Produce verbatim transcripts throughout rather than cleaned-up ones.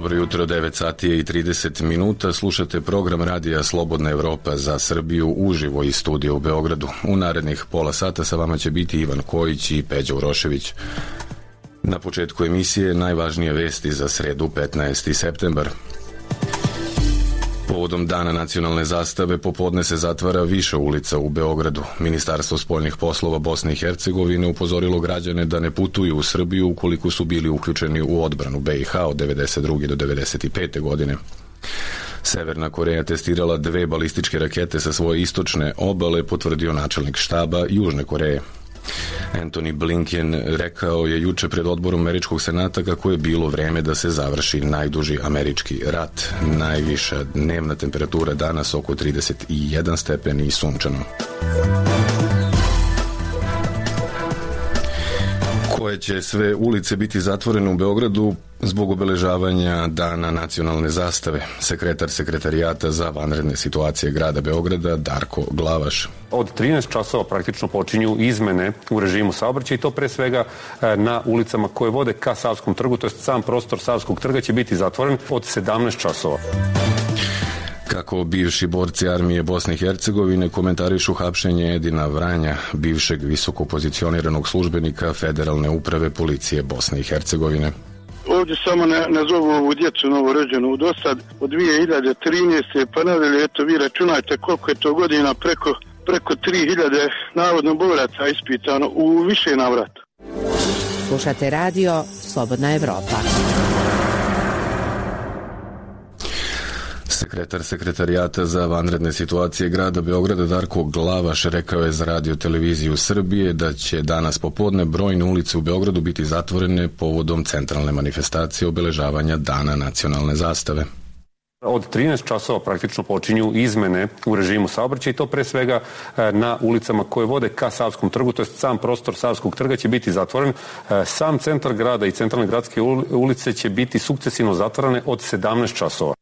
Dobro jutro, devet sati i trideset minuta. Slušate program radija Slobodna Evropa za Srbiju uživo iz studija u Beogradu. U narednih pola sata sa vama će biti Ivan Kojić i Peđa Urošević. Na početku emisije najvažnije vesti za sredu petnaesti septembar. Povodom Dana nacionalne zastave popodne se zatvara više ulica u Beogradu. Ministarstvo spoljnih poslova Bosne i Hercegovine upozorilo građane da ne putuju u Srbiju ukoliko su bili uključeni u odbranu B i H od devedeset druge do devedeset pete godine. Severna Koreja testirala dve balističke rakete sa svoje istočne obale, potvrdio načelnik štaba Južne Koreje. Anthony Blinken rekao je juče pred odborom Američkog senata kako je bilo vreme da se završi najduži američki rat. Najviša dnevna temperatura danas oko trideset jedan stepeni i sunčano. Koje će sve ulice biti zatvorene u Beogradu zbog obeležavanja Dana nacionalne zastave? Sekretar Sekretarijata za vanredne situacije grada Beograda Darko Glavaš. Od trinaest časova praktično počinju izmene u režimu saobraćaja i to pre svega na ulicama koje vode ka Savskom trgu, to je sam prostor Savskog trga će biti zatvoren od sedamnaest časova. Kako bivši borci armije Bosne i Hercegovine komentarišu hapšenje Edina Vranja, bivšeg visoko pozicioniranog službenika Federalne uprave policije Bosne i Hercegovine. Ovdje samo ne, ne zovu ovu djecu novorođenu do sad od dvije hiljade trinaeste pa nadalje, eto vi računajte koliko je to godina, preko, preko tri hiljade navodno boraca ispitano u više navrata. Slušate radio Slobodna Evropa. Sekretar Sekretarijata za vanredne situacije grada Beograda Darko Glavaš rekao je za Radio televiziju Srbije da će danas popodne brojne ulice u Beogradu biti zatvorene povodom centralne manifestacije obeležavanja Dana nacionalne zastave. Od trinaest časova praktično počinju izmene u režimu saobraćaja i to pre svega na ulicama koje vode ka Savskom trgu, to je sam prostor Savskog trga će biti zatvoren. Sam centar grada i centralne gradske ulice će biti sukcesivno zatvorene od sedamnaest časova.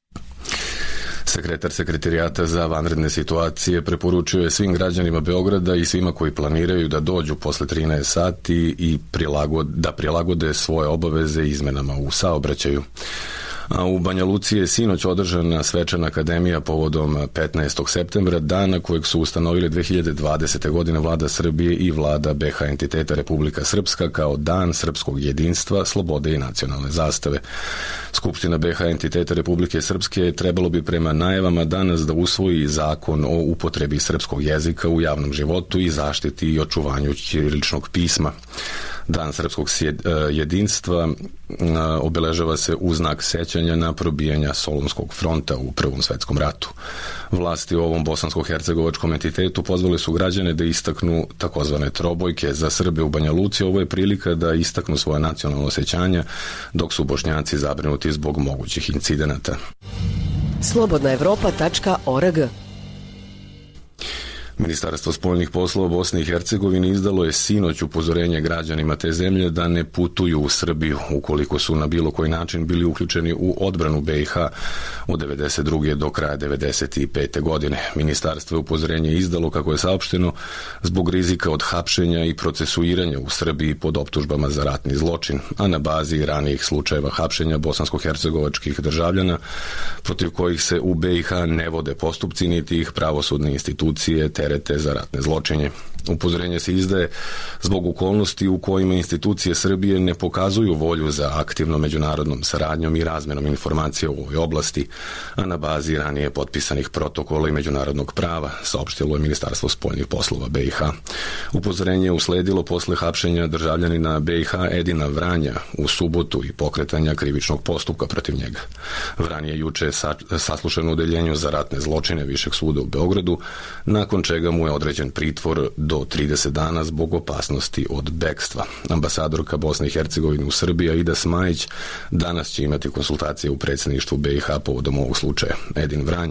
Sekretar Sekretarijata za vanredne situacije preporučuje svim građanima Beograda i svima koji planiraju da dođu posle trinaest sati i prilagode, da prilagode svoje obaveze izmenama u saobraćaju. A u Banja Luci je sinoć održana svečana akademija povodom petnaestog septembra, dana kojeg su ustanovili dve hiljade dvadesete. godine vlada Srbije i vlada B H entiteta Republika Srpska kao Dan srpskog jedinstva, slobode i nacionalne zastave. Skupština B H entiteta Republike Srpske trebalo bi prema najavama danas da usvoji zakon o upotrebi srpskog jezika u javnom životu i zaštiti i očuvanju ćiriličnog pisma. Dan srpskog jedinstva obeležava se u znak sećanja na probijanja Solunskog fronta u Prvom svetskom ratu. Vlasti u ovom bosansko-hercegovačkom entitetu pozvali su građane da istaknu takozvane trobojke za Srbe u Banja Luci. Ovo je prilika da istaknu svoje nacionalno osjećanja, dok su Bošnjaci zabrinuti zbog mogućih incidenata. slobodna evropa tačka org. Ministarstvo spoljnih poslova Bosne i Hercegovine izdalo je sinoć upozorenje građanima te zemlje da ne putuju u Srbiju ukoliko su na bilo koji način bili uključeni u odbranu B i H od devedeset druge do kraja devedeset pete. godine. Ministarstvo je upozorenje izdalo, kako je saopšteno, zbog rizika od hapšenja i procesuiranja u Srbiji pod optužbama za ratni zločin, a na bazi ranijih slučajeva hapšenja bosansko-hercegovačkih državljana protiv kojih se u B i H ne vode postupci niti ih pravosudne institucije terete za ratne zločinje. Upozorenje se izdaje zbog okolnosti u kojima institucije Srbije ne pokazuju volju za aktivnom međunarodnom saradnjom i razmenom informacija u ovoj oblasti, a na bazi ranije potpisanih protokola i međunarodnog prava, saopštilo je Ministarstvo spoljnih poslova B i H. Upozorenje je usledilo posle hapšenja državljanina B i H Edina Vranja u subotu i pokretanja krivičnog postupka protiv njega. Vran je juče saslušan u odeljenju za ratne zločine Višeg suda u Beogradu, nakon čega mu je određen pritvor do trideset dana zbog opasnosti od bekstva. Ambasadorka Bosne i Hercegovine u Srbiji Aida Smajić danas će imati konsultacije u predsjedništvu B i H povodom ovog slučaja. Edin Vranj,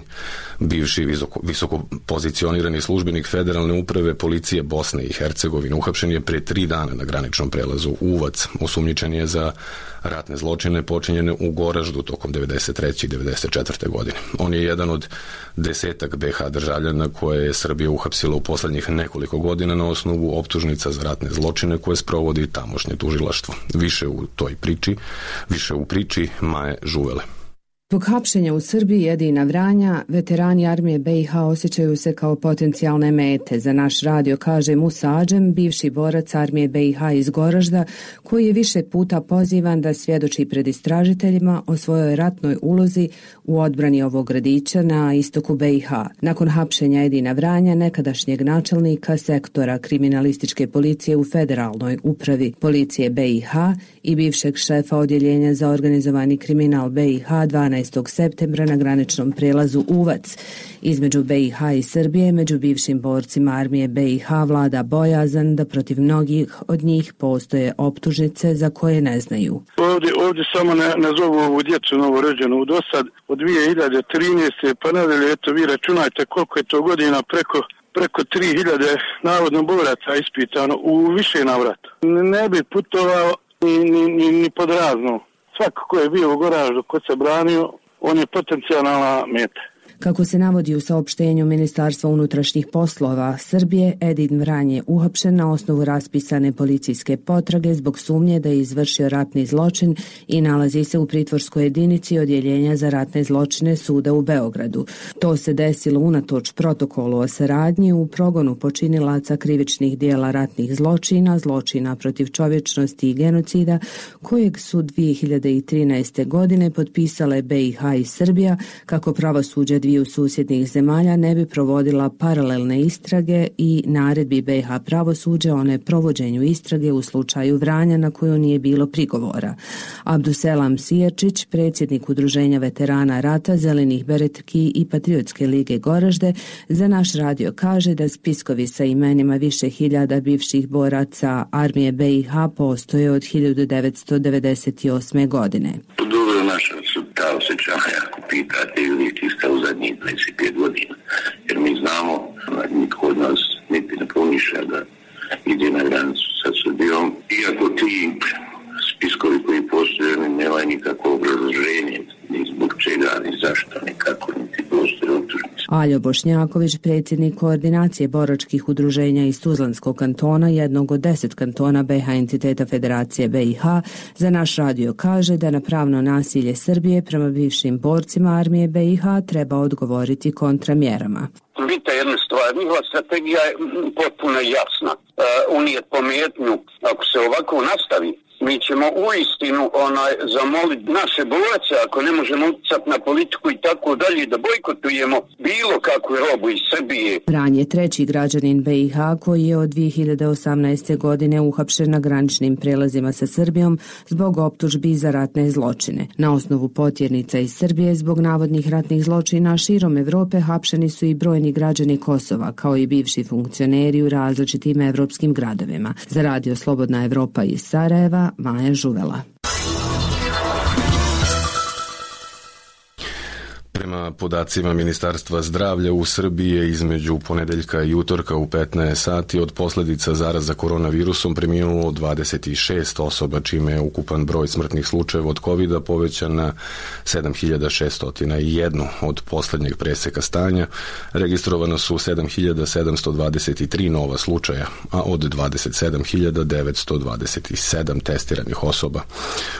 bivši visoko, visoko pozicionirani službenik Federalne uprave policije Bosne i Hercegovine, uhapšen je pre tri dana na graničnom prelazu Uvac. Osumnjičen je za ratne zločine počinjene u Goraždu tokom devedeset treće i devedeset četvrte. godine. On je jedan od desetak B H državljana koje je Srbija uhapsila u poslednjih nekoliko godina na osnovu optužnica za ratne zločine koje sprovodi tamošnje tužilaštvo. Više u toj priči, više u priči Maje Žuvele. Zbog hapšenja u Srbiji Edina Vranja, veterani armije B i H osjećaju se kao potencijalne mete. Za naš radio kaže Musa Adžem, bivši borac armije B i H iz Goražda, koji je više puta pozivan da svjedoči pred istražiteljima o svojoj ratnoj ulozi u odbrani ovog gradića na istoku B i H. Nakon hapšenja Edina Vranja, nekadašnjeg načelnika sektora kriminalističke policije u Federalnoj upravi policije B i H i bivšeg šefa odjeljenja za organizovani kriminal B i H dvanaestog septembra na graničnom prelazu Uvac. Između B i H i Srbije, među bivšim borcima armije B i H vlada bojazan da protiv mnogih od njih postoje optužnice za koje ne znaju. Ovdje, ovdje samo ne, ne zovu ovu djecu novorođenu u dosad od dvije hiljade trinaeste pa nadalje, eto vi računajte koliko je to godina, preko preko tri hiljade navodno boraca ispitano u više navrata. Ne bi putovao ni, ni, ni, ni pod razno. Svako ko je bio u Goraždu, ko se branio, on je potencijalna meta. Kako se navodi u saopštenju Ministarstva unutrašnjih poslova Srbije, Edin Vranj je uhapšen na osnovu raspisane policijske potrage zbog sumnje da je izvršio ratni zločin i nalazi se u pritvorskoj jedinici odjeljenja za ratne zločine suda u Beogradu. To se desilo unatoč protokolu o saradnji u progonu počinilaca krivičnih dijela ratnih zločina, zločina protiv čovječnosti i genocida, kojeg su dvije hiljade trinaeste. godine potpisale B i H i Srbija kako pravosuđe dviju susjednih zemalja ne bi provodila paralelne istrage i naredbi B i H pravosuđa o neprovođenju istrage u slučaju Vranja na koju nije bilo prigovora. Abduselam Sijerčić, predsjednik Udruženja veterana rata, Zelenih beretki i Patriotske lige Goražde, za naš radio kaže da spiskovi sa imenima više hiljada bivših boraca armije B i H postoje od hiljadu devetsto devedeset osme. godine. Dobro, naša su ta osjećanja, ako pitate, ili čista u zadnjih dvadeset pet godina. Jer mi znamo, nitko od nas niti ne pomišlja da ide na granicu sa Srbijom. Iako ti spiskovi koji postoje, nema nikakvo obrazloženje, ni zbog čega, ni zašto, nikako, niti postoje optužnice. Aljo Bošnjaković, predsjednik koordinacije boračkih udruženja iz Tuzlanskog kantona, jednog od deset kantona B i H entiteta Federacije B i H, za naš radio kaže da na pravno nasilje Srbije prema bivšim borcima armije B i H treba odgovoriti kontramjerama. Vidite jednu stvar, njihova strategija je potpuno jasna. Uh, unijet pometnju, ako se ovako nastavi, mi ćemo uistinu onaj, zamoliti naše borace, ako ne možemo utjecati na politiku i tako dalje, da bojkotujemo bilo kakvu robu iz Srbije. Vranj je treći građanin B i H koji je od dvije hiljade osamnaeste. godine uhapšen na graničnim prelazima sa Srbijom zbog optužbi za ratne zločine. Na osnovu potjernica iz Srbije zbog navodnih ratnih zločina širom Evrope hapšeni su i brojni građani Kosova, kao i bivši funkcioneri u različitim evropskim gradovima. Za radio Slobodna Evropa iz Sarajeva, Maja Žuvela. Prema podacima Ministarstva zdravlja u Srbiji je između ponedeljka i utorka u petnaest sati od posljedica zaraza koronavirusom preminulo dvadeset šest osoba, čime je ukupan broj smrtnih slučajeva od kovida povećan na sedam hiljada šeststo jedan od posljednjeg preseka stanja. Registrovano su sedam hiljada sedamsto dvadeset tri nova slučaja, a od dvadeset sedam hiljada devetsto dvadeset sedam testiranih osoba.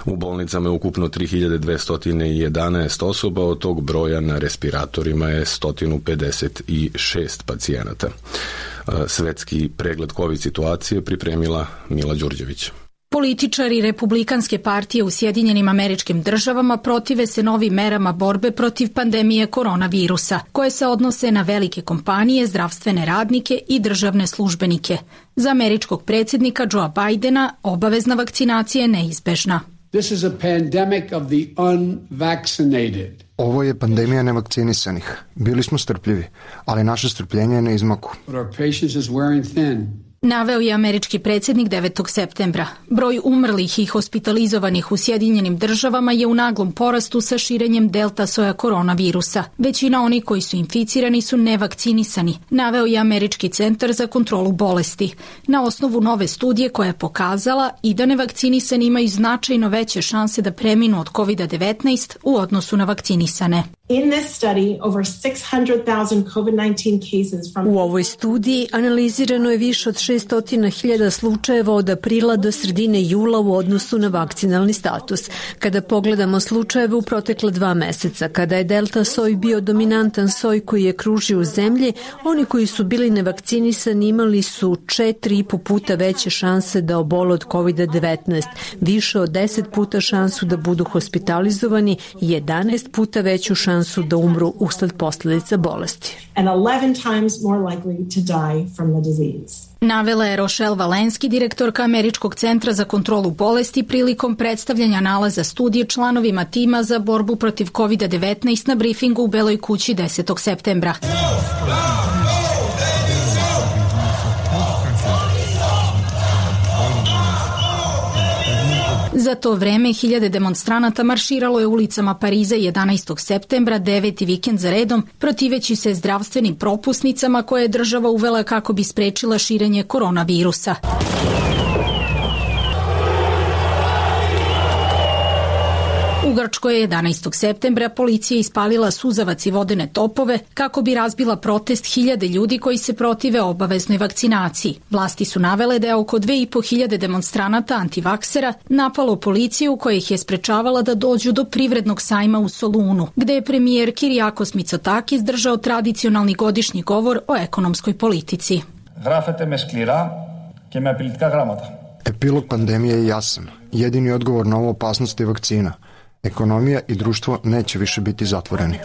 U bolnicama je ukupno tri hiljade dvesta jedanaest osoba, od tog broja na respiratorima je sto pedeset šest pacijenata. Svetski pregled COVID situacije pripremila Mila Đurđević. Političari Republikanske partije u Sjedinjenim Američkim Državama protive se novim merama borbe protiv pandemije koronavirusa, koje se odnose na velike kompanije, zdravstvene radnike i državne službenike. Za američkog predsjednika Joea Bidena obavezna vakcinacija je neizbežna. This is a pandemic of the unvaccinated. Ovo je pandemija nevakcinisanih. Bili smo strpljivi, ali naše strpljenje je na izmaku. But our patience is wearing thin. Naveo je američki predsjednik devetog septembra. Broj umrlih i hospitalizovanih u Sjedinjenim Državama je u naglom porastu sa širenjem delta soja koronavirusa. Većina onih koji su inficirani su nevakcinisani, naveo je Američki centar za kontrolu bolesti. Na osnovu nove studije koja je pokazala i da nevakcinisani imaju značajno veće šanse da preminu od kovid devetnaest u odnosu na vakcinisane. In this study, over six hundred thousand COVID nineteen cases from... U ovoj studiji analizirano je više od šesto hiljada slučajeva od aprila do sredine jula u odnosu na vakcinalni status. Kada pogledamo slučajeve u protekla dva meseca, kada je delta soj bio dominantan soj koji je kružio u zemlji, oni koji su bili nevakcinisani imali su četiri i po puta veće šanse da obole od kovid devetnaest, više od deset puta šansu da budu hospitalizovani i jedanaest puta veću šansu su da umru usled posljedica bolesti. And eleven times more likely to die from the disease. Navela je Rochelle Walensky, direktorka Američkog centra za kontrolu bolesti, prilikom predstavljanja nalaza studije članovima tima za borbu protiv kovid devetnaest na brifingu u Beloj kući desetog septembra. Za to vreme hiljade demonstranata marširalo je ulicama Pariza jedanaestog septembra, deveti vikend za redom, protiveći se zdravstvenim propusnicama koje je država uvela kako bi sprečila širenje koronavirusa. U Grčkoj je jedanaestog septembra policija ispalila suzavac i vodene topove kako bi razbila protest hiljade ljudi koji se protive obaveznoj vakcinaciji. Vlasti su navele da je oko dve i po hiljade demonstranata antivaksera napalo policiju koja ih je sprečavala da dođu do privrednog sajma u Solunu, gde je premijer Kyriakos Mitsotakis držao tradicionalni godišnji govor o ekonomskoj politici. Γράφετε με σκληρά και με απειλητικά γράμματα. Epilog pandemije je jasan. Jedini odgovor na ovu opasnost je vakcina. Ekonomija i društvo neće više biti zatvoreni.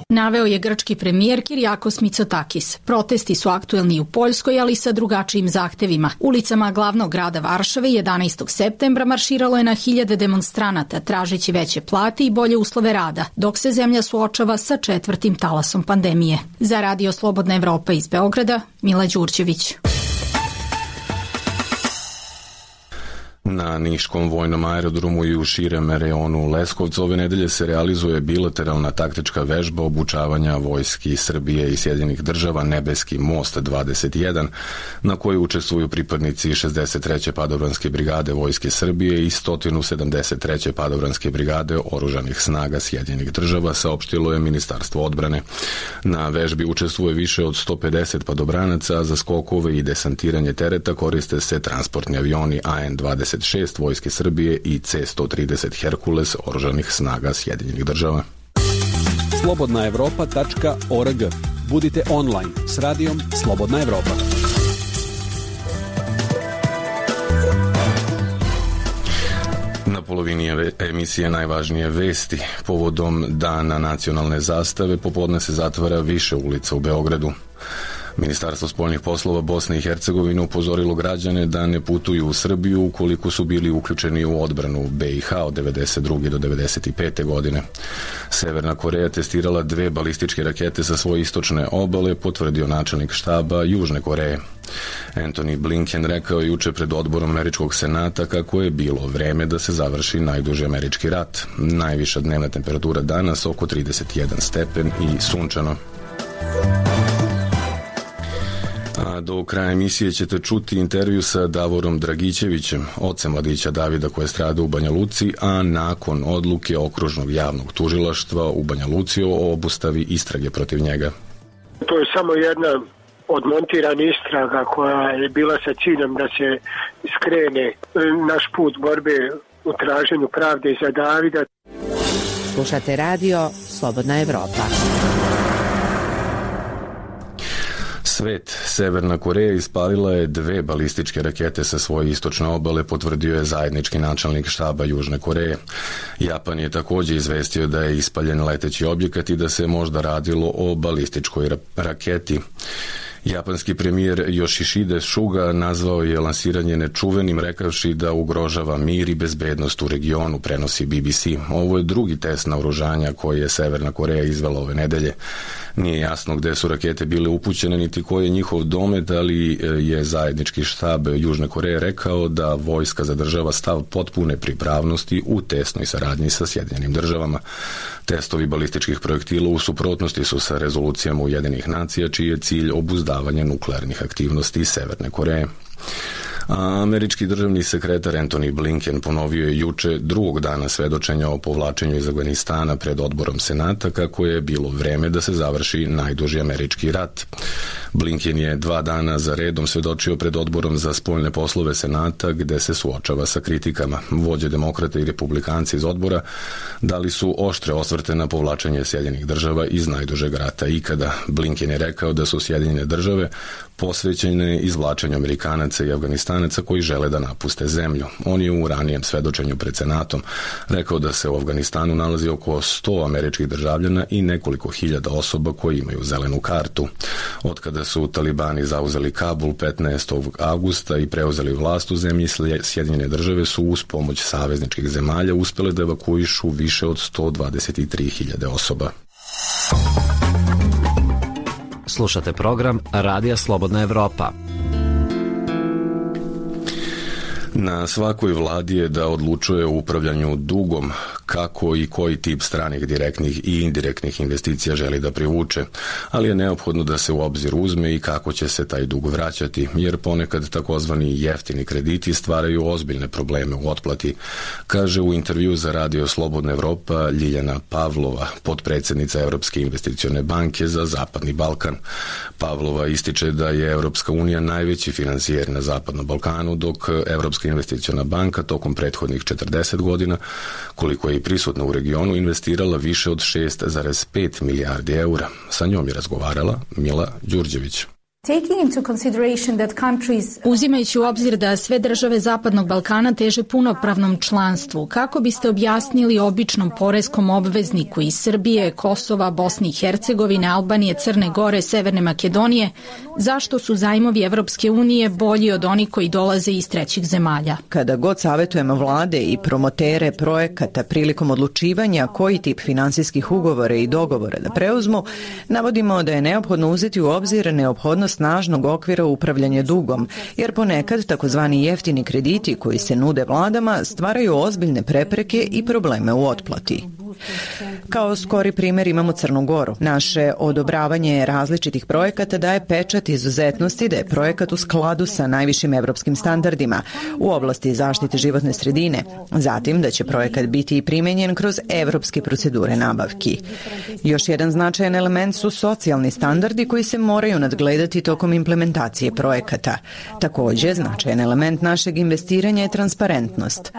Naveo je grčki premijer Kyriakos Mitsotakis. Protesti su aktuelni u Poljskoj, ali sa drugačijim zahtevima. Ulicama glavnog grada Varšave jedanaestog septembra marširalo je na hiljade demonstranata, tražeći veće plate i bolje uslove rada, dok se zemlja suočava sa četvrtim talasom pandemije. Za Radio Slobodna Evropa iz Beograda, Mila Đurđević. Na Niškom vojnom aerodromu i u širem reonu Leskovca ove nedelje se realizuje bilateralna taktička vežba obučavanja vojski Srbije i Sjedinjenih država Nebeski most dvadeset jedan, na kojoj učestvuju pripadnici šezdeset treće padobranske brigade Vojske Srbije i sto sedamdeset treće padobranske brigade Oružanih snaga Sjedinjenih država, saopštilo je Ministarstvo odbrane. Na vežbi učestvuje više od sto pedeset padobranaca, a za skokove i desantiranje tereta koriste se transportni avioni A N dvadeset šest Vojske Srbije i C sto trideset Herkules Oružanih snaga Sjedinjenih država. slobodna evropa tačka org. Budite online s radijom Slobodna Evropa. Na polovini emisije najvažnije vesti. Povodom Dana nacionalne zastave popodne se zatvara više ulica u Beogradu. Ministarstvo spoljnih poslova Bosne i Hercegovine upozorilo građane da ne putuju u Srbiju ukoliko su bili uključeni u odbranu B i H od devedeset druge do devedeset pete godine. Severna Koreja testirala dve balističke rakete sa svoje istočne obale, potvrdio načelnik štaba Južne Koreje. Anthony Blinken rekao je juče pred odborom Američkog senata kako je bilo vreme da se završi najduži američki rat. Najviša dnevna temperatura danas oko trideset jedan stepen i sunčano. A do kraja emisije ćete čuti intervju sa Davorom Dragićevićem, ocem mladića Davida koji je stradao u Banja Luci, a nakon odluke Okružnog javnog tužilaštva u Banja Luci o obustavi istrage protiv njega. To je samo jedna od montirane istraga koja je bila sa ciljem da se skrene naš put borbe u traženju pravde za Davida. Slušate radio Slobodna Evropa. Svet. Severna Koreja ispalila je dve balističke rakete sa svoje istočne obale, potvrdio je zajednički načelnik štaba Južne Koreje. Japan je također izvestio da je ispaljen leteći objekat i da se možda radilo o balističkoj ra- raketi. Japanski premijer Yoshihide Suga nazvao je lansiranje nečuvenim, rekavši da ugrožava mir i bezbednost u regionu, prenosi B B C. Ovo je drugi test naoružanja koji je Severna Koreja izvela ove nedelje. Nije jasno gde su rakete bile upućene niti koji je njihov domet, ali je zajednički štab Južne Koreje rekao da vojska zadržava stav potpune pripravnosti u tesnoj saradnji sa Sjedinjenim državama. Testovi balističkih projektila u suprotnosti su sa rezolucijama Ujedinjenih nacija, čiji je cilj obuzdavanje nuklearnih aktivnosti Severne Koreje. A američki državni sekretar Antony Blinken ponovio je juče drugog dana svedočenja o povlačenju iz Afganistana pred odborom Senata kako je bilo vreme da se završi najduži američki rat. Blinken je dva dana za redom svedočio pred odborom za spoljne poslove Senata gde se suočava sa kritikama. Vođe demokrata i republikanci iz odbora dali su oštre osvrte na povlačenje Sjedinjenih država iz najdužeg rata ikada. Blinken je rekao da su Sjedinjene države posvećene izvlačenju Amerikanaca i Afganistanaca koji žele da napuste zemlju. On je u ranijem svedočenju pred Senatom rekao da se u Afganistanu nalazi oko sto američkih državljana i nekoliko hiljada osoba koji imaju zelenu kartu. Od kada su talibani zauzeli Kabul petnaestog avgusta i preuzeli vlast u zemlji, Sjedinjene države su uz pomoć savezničkih zemalja uspele da evakuišu više od sto dvadeset tri hiljade osoba. Slušate program Radija Slobodna Evropa. Na svakoj vladi je da odlučuje o upravljanju dugom, kako i koji tip stranih direktnih i indirektnih investicija želi da privuče, ali je neophodno da se u obzir uzme i kako će se taj dug vraćati, jer ponekad takozvani jeftini krediti stvaraju ozbiljne probleme u otplati, kaže u intervju za Radio Slobodna Evropa Ljiljana Pavlova, potpredsednica Evropske investicione banke za Zapadni Balkan. Pavlova ističe da je Evropska unija najveći finansijer na Zapadnom Balkanu, dok Evropska investiciona banka tokom prethodnih četrdeset godina, koliko je i prisutna u regionu, investirala više od šest zarez pet milijardi eura. Sa njom je razgovarala Mila Đurđević. Uzimajući u obzir da sve države Zapadnog Balkana teže punopravnom članstvu, kako biste objasnili običnom poreskom obvezniku iz Srbije, Kosova, Bosne i Hercegovine, Albanije, Crne Gore, Severne Makedonije, zašto su zajmovi Evropske unije bolji od onih koji dolaze iz trećih zemalja? Kada god savjetujemo vlade i promotere projekata prilikom odlučivanja koji tip finansijskih ugovora i dogovora da preuzmu, navodimo da je neophodno uzeti u obzir neophodnost snažnog okvira upravljanja dugom, jer ponekad takozvani jeftini krediti koji se nude vladama stvaraju ozbiljne prepreke i probleme u otplati. Kao skori primjer imamo Crnu Goru. Naše odobravanje različitih projekata daje pečat izuzetnosti da je projekat u skladu sa najvišim evropskim standardima u oblasti zaštite životne sredine, zatim da će projekat biti primenjen kroz evropske procedure nabavki. Još jedan značajan element su socijalni standardi koji se moraju nadgledati tokom implementacije projekata. Također, značajan element našeg investiranja je transparentnost.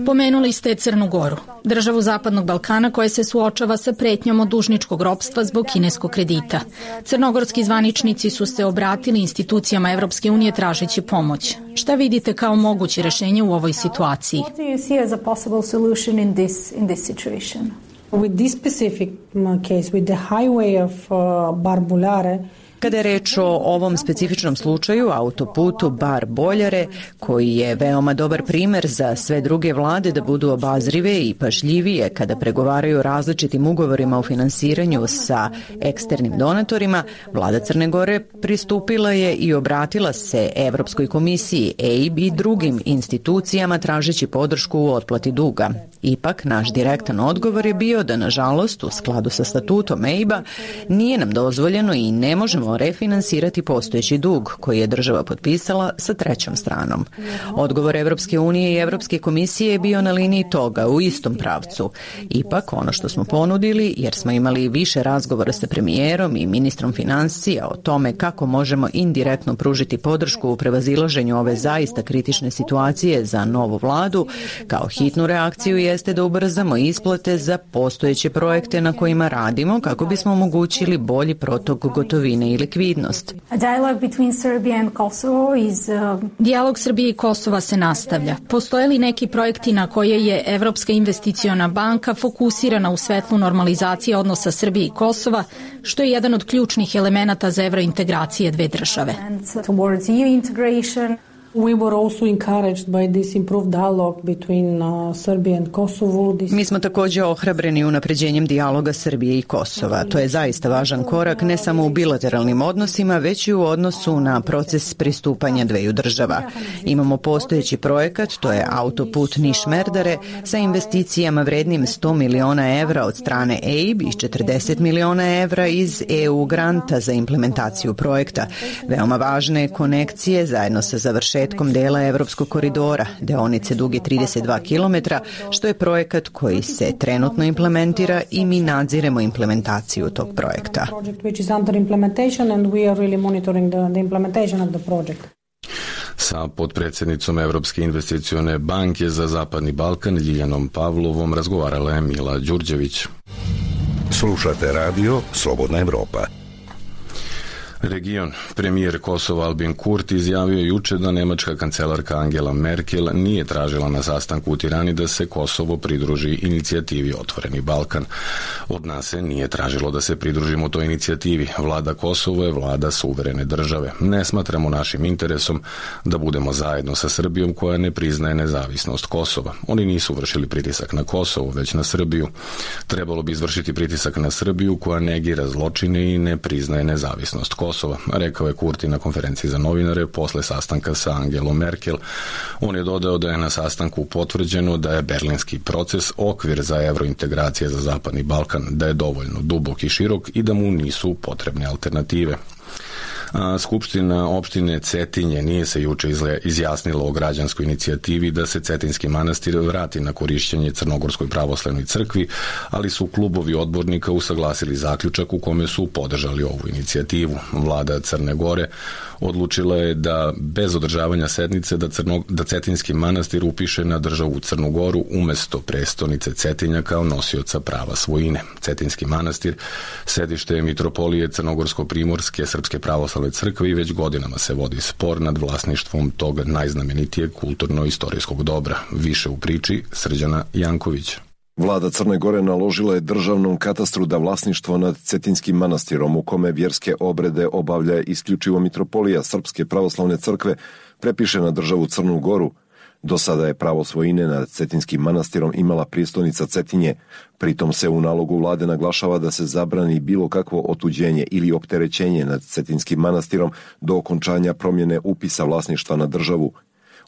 Pomenuli ste Crnu Goru, državu Zapadnog Balkana koja se suočava sa pretnjom od dužničkog ropstva zbog kineskog kredita. Crnogorski zvaničnici su se obratili institucijama Evropske unije tražeći pomoć. Šta vidite kao moguće rešenje u ovoj situaciji? With this specific case, with the highway of uh, Bar-Buljare, Kada je reč o ovom specifičnom slučaju, autoputu Bar-Boljare, koji je veoma dobar primer za sve druge vlade da budu obazrive i pažljivije kada pregovaraju o različitim ugovorima o finansiranju sa eksternim donatorima, vlada Crne Gore pristupila je i obratila se Evropskoj komisiji, E I B i drugim institucijama tražeći podršku u otplati duga. Ipak, naš direktan odgovor je bio da, nažalost, u skladu sa statutom E I B-a, nije nam dozvoljeno i ne možemo refinansirati postojeći dug koji je država potpisala sa trećom stranom. Odgovor Evropske unije i Evropske komisije je bio na liniji toga, u istom pravcu. Ipak, ono što smo ponudili, jer smo imali više razgovora sa premijerom i ministrom financija o tome kako možemo indirektno pružiti podršku u prevazilaženju ove zaista kritične situacije za novu vladu, kao hitnu reakciju jeste da ubrzamo isplate za postojeće projekte na kojima radimo kako bismo omogućili bolji protok gotovine i likvidnost. Dijalog Srbije i Kosova se nastavlja. Postoje li neki projekti na koje je Evropska investiciona banka fokusirana u svetlu normalizacije odnosa Srbije i Kosova, što je jedan od ključnih elemenata za evrointegracije dve države? We were also encouraged by this improved dialogue between uh, Serbia and Kosovo. This... Mi smo također ohrabreni unapređenjem dijaloga Srbije i Kosova. To je zaista važan korak ne samo u bilateralnim odnosima, već i u odnosu na proces pristupanja dveju država. Imamo postojeći projekat, to je autoput Niš-Merdare, sa investicijama vrednim sto miliona evra od strane E I B i četrdeset miliona evra iz E U granta za implementaciju projekta. Veoma važne konekcije zajedno sa završetkom dela Evropskog koridora, deonice duge trideset dva kilometra, što je projekat koji se trenutno implementira i mi nadziremo implementaciju tog projekta. Sa potpredsjednicom Evropske investicione banke za Zapadni Balkan Ljiljanom Pavlovom razgovarala je Mila Đurđević. Slušate radio Slobodna Evropa. Region. Premijer Kosova Albin Kurti izjavio juče da nemačka kancelarka Angela Merkel nije tražila na sastanku u Tirani da se Kosovo pridruži inicijativi Otvoreni Balkan. Od nas se nije tražilo da se pridružimo toj inicijativi. Vlada Kosovo je vlada suverene države. Ne smatramo našim interesom da budemo zajedno sa Srbijom koja ne priznaje nezavisnost Kosova. Oni nisu vršili pritisak na Kosovo, već na Srbiju. Trebalo bi izvršiti pritisak na Srbiju koja negira zločine i ne priznaje nezavisnost Kosova. Kosova, rekao je Kurti na konferenciji za novinare posle sastanka sa Angelom Merkel. On je dodao da je na sastanku potvrđeno da je berlinski proces okvir za evrointegracije za Zapadni Balkan, da je dovoljno dubok i širok i da mu nisu potrebne alternative. A Skupština opštine Cetinje nije se juče izjasnila o građanskoj inicijativi da se Cetinski manastir vrati na korišćenje Crnogorskoj pravoslavnoj crkvi, ali su klubovi odbornika usaglasili zaključak u kome su podržali ovu inicijativu. Vlada Crne Gore odlučila je da bez održavanja sednice da, Crno, da Cetinski manastir upiše na državu Crnu Goru umesto prestonice Cetinja kao nosioca prava svojine. Cetinski manastir sedište je mitropolije Crnogorsko-primorske Srpske pravoslavne crkve i već godinama se vodi spor nad vlasništvom tog najznamenitijeg kulturno-istorijskog dobra. Više u priči Srđana Janković. Vlada Crne Gore naložila je državnom katastru da vlasništvo nad Cetinskim manastirom, u kome vjerske obrede obavlja isključivo mitropolija Srpske pravoslavne crkve, prepiše na državu Crnu Goru. Do sada je pravo svojine nad Cetinskim manastirom imala prijestolnica Cetinje. Pritom se u nalogu vlade naglašava da se zabrani bilo kakvo otuđenje ili opterećenje nad Cetinskim manastirom do okončanja promjene upisa vlasništva na državu.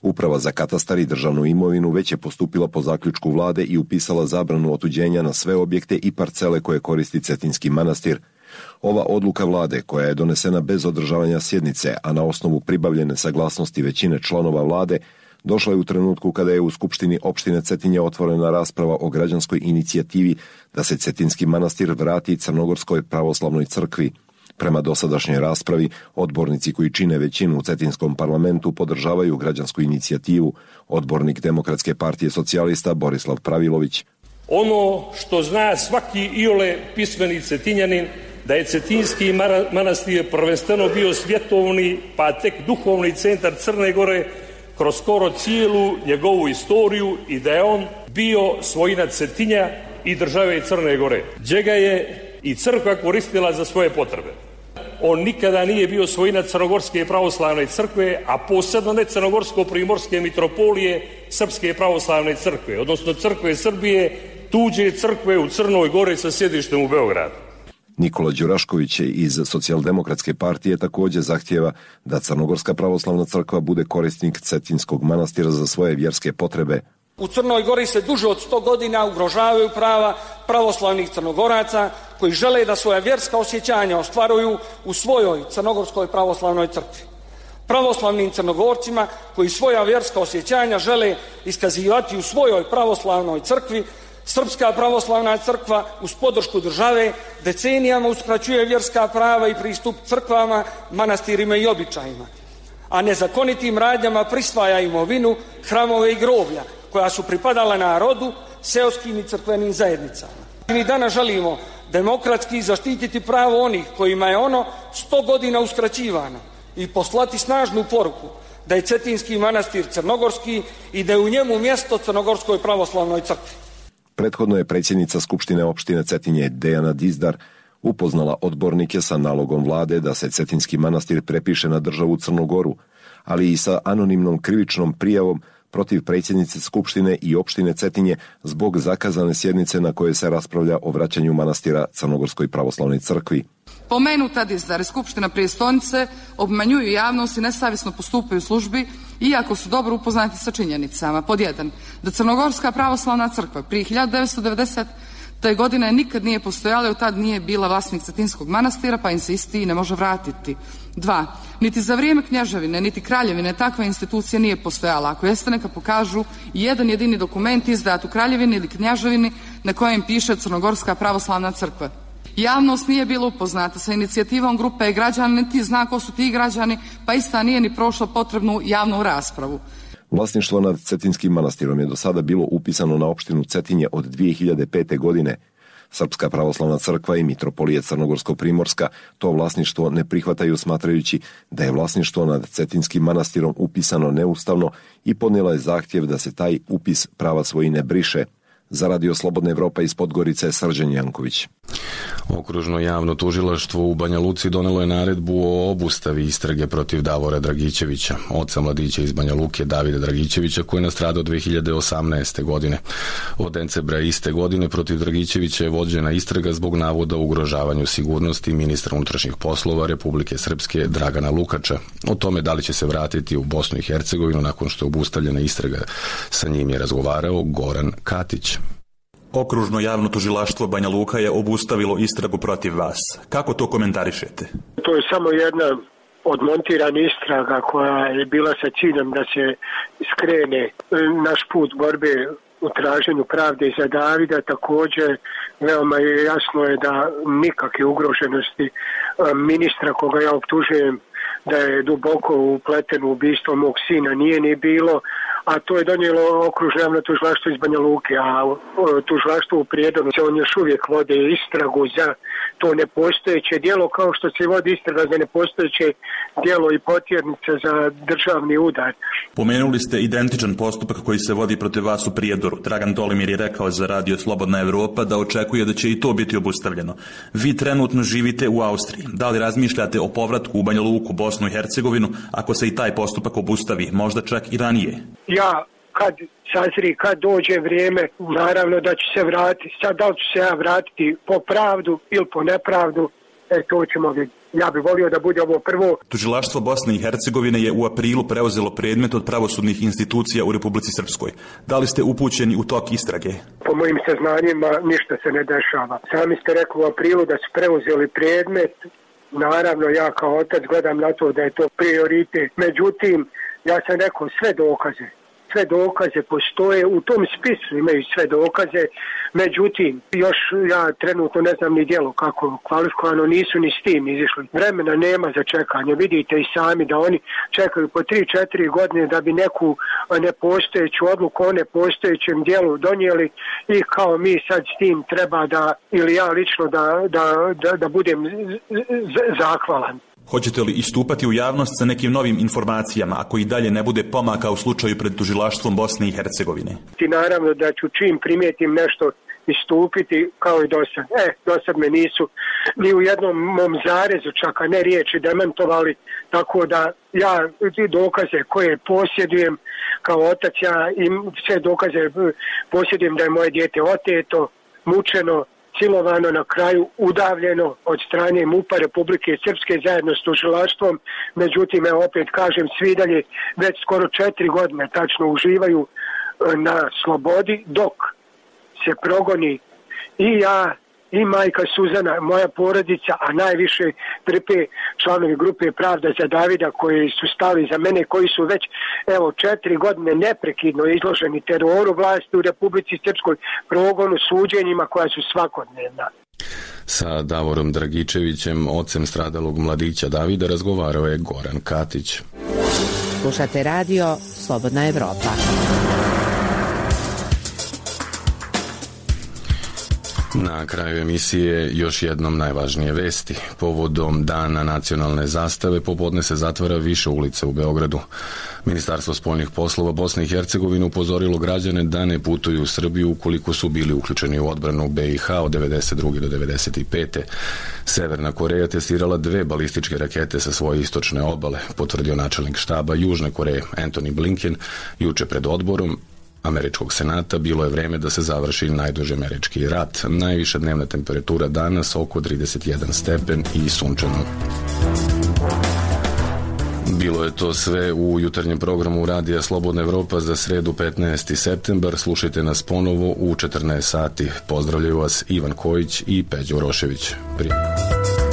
Uprava za katastar i državnu imovinu već je postupila po zaključku vlade i upisala zabranu otuđenja na sve objekte i parcele koje koristi Cetinski manastir. Ova odluka vlade, koja je donesena bez održavanja sjednice, a na osnovu pribavljene saglasnosti većine članova vlade, došla je u trenutku kada je u Skupštini opštine Cetinje otvorena rasprava o građanskoj inicijativi da se Cetinski manastir vrati Crnogorskoj pravoslavnoj crkvi. Prema dosadašnjoj raspravi, odbornici koji čine većinu u Cetinskom parlamentu podržavaju građansku inicijativu. Odbornik Demokratske partije socijalista Borislav Pravilović. Ono što zna svaki iole pismeni Cetinjanin, da je Cetinski manastir prvenstveno bio svjetovni, pa tek duhovni centar Crne Gore kroz skoro cijelu njegovu istoriju i da je on bio svojina Cetinja i države Crne Gore, gdje ga je i crkva koristila za svoje potrebe. On nikada nije bio svojina Crnogorske pravoslavne crkve, a posebno ne Crnogorsko-primorske mitropolije Srpske pravoslavne crkve, odnosno crkve Srbije, tuđe crkve u Crnoj Gori sa sjedištem u Beogradu. Nikola Đurašković iz Socijaldemokratske partije također zahtjeva da Crnogorska pravoslavna crkva bude korisnik Cetinskog manastira za svoje vjerske potrebe. U Crnoj Gori se duže od sto godina ugrožavaju prava pravoslavnih Crnogoraca koji žele da svoja vjerska osjećanja ostvaruju u svojoj Crnogorskoj pravoslavnoj crkvi. Pravoslavnim Crnogorcima koji svoja vjerska osjećanja žele iskazivati u svojoj pravoslavnoj crkvi, Srpska pravoslavna crkva uz podršku države decenijama uskraćuje vjerska prava i pristup crkvama, manastirima i običajima, a nezakonitim radnjama prisvaja imovinu, hramove i groblja koja su pripadala narodu, seoskim i crkvenim zajednicama. Mi danas želimo demokratski zaštititi pravo onih kojima je ono sto godina uskraćivano i poslati snažnu poruku da je Cetinski manastir crnogorski i da je u njemu mjesto Crnogorskoj pravoslavnoj crkvi. Prethodno je predsjednica Skupštine opštine Cetinje Dejana Dizdar upoznala odbornike sa nalogom vlade da se Cetinski manastir prepiše na državu Crnu Goru, ali i sa anonimnom krivičnom prijavom protiv predsjednice Skupštine i opštine Cetinje zbog zakazane sjednice na kojoj se raspravlja o vraćanju manastira Crnogorskoj pravoslavnoj crkvi. Pomenuta dizdar Skupština prijestolnice obmanjuju javnost i nesavjesno postupaju u službi, iako su dobro upoznati sa činjenicama. Pod jedan, da Crnogorska pravoslavna crkva prije hiljadu devetsto devedesete godine nikad nije postojala i od tad nije bila vlasnik Cetinskog manastira, pa im se isti ne može vratiti. Dva, niti za vrijeme knježevine, niti kraljevine takva institucija nije postojala. Ako jeste, neka pokažu jedan jedini dokument izdat u kraljevini ili knježevini na kojem piše Crnogorska pravoslavna crkva. Javnost nije bila upoznata sa inicijativom grupe građana, niti zna ko su ti građani, pa ista nije ni prošla potrebnu javnu raspravu. Vlasništvo nad Cetinskim manastirom je do sada bilo upisano na opštinu Cetinje od dvije hiljade pete. godine. Srpska pravoslavna crkva i mitropolija Crnogorsko-Primorska to vlasništvo ne prihvataju, smatrajući da je vlasništvo nad Cetinskim manastirom upisano neustavno i podnijela je zahtjev da se taj upis prava svojine briše. Za Radio Slobodna Evropa iz Podgorice, Srđan Janković. Okružno javno tužilaštvo u Banja Luci donelo je naredbu o obustavi istrage protiv Davora Dragićevića, oca mladića iz Banja Luke Davida Dragićevića, koji je nastradao dve hiljade osamnaeste. godine. Od decembra iste godine protiv Dragićevića je vođena istraga zbog navoda o ugrožavanju sigurnosti ministra unutrašnjih poslova Republike Srpske Dragana Lukača. O tome da li će se vratiti u Bosnu i Hercegovinu nakon što je obustavljena istraga, sa njim je razgovarao Goran Katić. Okružno javno tužilaštvo Banja Luka je obustavilo istragu protiv vas. Kako to komentarišete? To je samo jedna odmontirana istraga koja je bila sa ciljem da se skrene naš put borbe u traženju pravde za Davida. Također, veoma je jasno je da nikakve ugroženosti ministra koga ja optužujem da je duboko upleten u ubistvo mog sina nije ni bilo, a to je donijelo okružno javno tužilaštvo iz Banja Luke, a tužilaštvo u Prijedonu se on još uvijek vode istragu za to nepostojeće djelo, kao što se vodi istraga za nepostojeće djelo i potjernice za državni udar. Pomenuli ste identičan postupak koji se vodi protiv vas u Prijedoru. Dragan Tolimir je rekao za Radio Slobodna Evropa da očekuje da će i to biti obustavljeno. Vi trenutno živite u Austriji. Da li razmišljate o povratku u Banja Luku, Bosnu i Hercegovinu, ako se i taj postupak obustavi, možda čak i ranije? Ja, kad sazri, kad dođe vrijeme, naravno da ću se vratiti. Sad da li ću se ja vratiti po pravdu ili po nepravdu, e, to ćemo vidjeti. Ja bih volio da bude ovo prvo. Tužilaštvo Bosne i Hercegovine je u aprilu preuzelo predmet od pravosudnih institucija u Republici Srpskoj. Da li ste upućeni u tok istrage? Po mojim saznanjima ništa se ne dešava. Sami ste rekli u aprilu da su preuzeli predmet. Naravno, ja kao otac gledam na to da je to prioritet. Međutim, ja sam rekao sve dokaze. Sve dokaze postoje, u tom spisu imaju sve dokaze, međutim, još ja trenutno ne znam ni djelo kako kvalifikovano, nisu ni s tim izišli. Vremena nema za čekanje, vidite i sami da oni čekaju po tri četiri godine da bi neku nepostojeću odluku o nepostojećem djelu donijeli i kao mi sad s tim treba da, ili ja lično da, da, da, da budem zahvalan. Hoćete li istupati u javnost sa nekim novim informacijama ako i dalje ne bude pomaka u slučaju pred tužilaštvom Bosne i Hercegovine? I naravno da ću čim primijetim nešto istupiti kao i dosad. E, dosad me nisu ni u jednom mom zarezu čak, a ne riječi demantovali, tako da ja dokaze koje posjedujem kao otac, ja im sve dokaze posjedujem da je moje dijete oteto, mučeno, silovano, na kraju udavljeno od strane MUP-a Republike Srpske zajedno s tužilaštvom. Međutim, evo opet kažem, svi dalje već skoro četiri godine tačno uživaju na slobodi dok se progoni i ja i majka Suzana, moja porodica, a najviše trpe članovi grupe Pravda za Davida koji su stali za mene, koji su već evo četiri godine neprekidno izloženi teroru vlasti u Republici Srpskoj, progonu, suđenjima koja su svakodnevna. Sa Davorom Dragičevićem, ocem stradalog mladića Davida, razgovarao je Goran Katić. Slušate radio Slobodna Evropa. Na kraju emisije još jednom najvažnije vesti. Povodom Dana nacionalne zastave popodne se zatvara više ulica u Beogradu. Ministarstvo spoljnih poslova Bosne i Hercegovine upozorilo građane da ne putuju u Srbiju ukoliko su bili uključeni u odbranu B i H od devedeset druge do devedeset pete. Severna Koreja testirala dve balističke rakete sa svoje istočne obale, potvrdio načelnik štaba Južne Koreje Antony Blinken juče pred odborom Američkog senata. Bilo je vreme da se završi najduži američki rat. Najviša dnevna temperatura danas oko trideset jedan stepen i sunčano. Bilo je to sve u jutarnjem programu Radija Slobodna Evropa za sredu petnaesti septembar. Slušajte nas ponovo u četrnaest sati. Pozdravljaju vas Ivan Kojić i Peđo Rošević. Prijatno.